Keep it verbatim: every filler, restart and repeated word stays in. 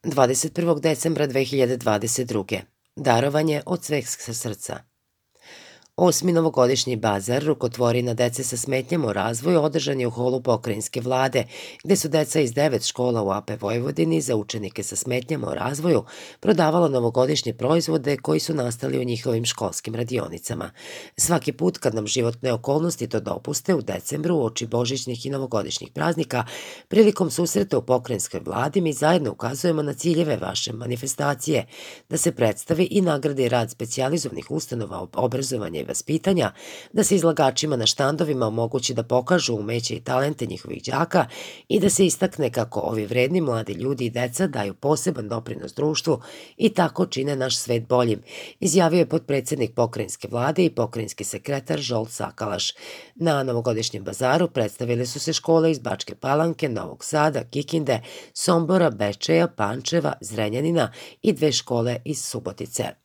dvadeset prvog decembra dve hiljade dvadeset druge. Darovanje od sveg srca. Osmi novogodišnji bazar rukotvorina dece sa smetnjama u razvoju održan je u holu pokrajinske vlade, gde su deca iz devet škola u A P Vojvodini za učenike sa smetnjama u razvoju prodavala novogodišnje proizvode koji su nastali u njihovim školskim radionicama. Svaki put kad nam životne okolnosti to dopuste u decembru uoči božićnih i novogodišnjih praznika, prilikom susreta u pokrajinskoj vladi mi zajedno ukazujemo na ciljeve vaše manifestacije, da se predstavi i nagradi rad specijalizovanih ustanova obrazovanja i vaspitanja, da se izlagačima na štandovima omogući da pokažu umeće i talente njihovih đaka i da se istakne kako ovi vredni mladi ljudi i deca daju poseban doprinos društvu i tako čine naš svet boljim, izjavio je potpredsednik pokrajinske vlade i pokrajinski sekretar Žolt Sakalaš. Na novogodišnjem bazaru predstavile su se škole iz Bačke Palanke, Novog Sada, Kikinde, Sombora, Bečeja, Pančeva, Zrenjanina i dve škole iz Subotice.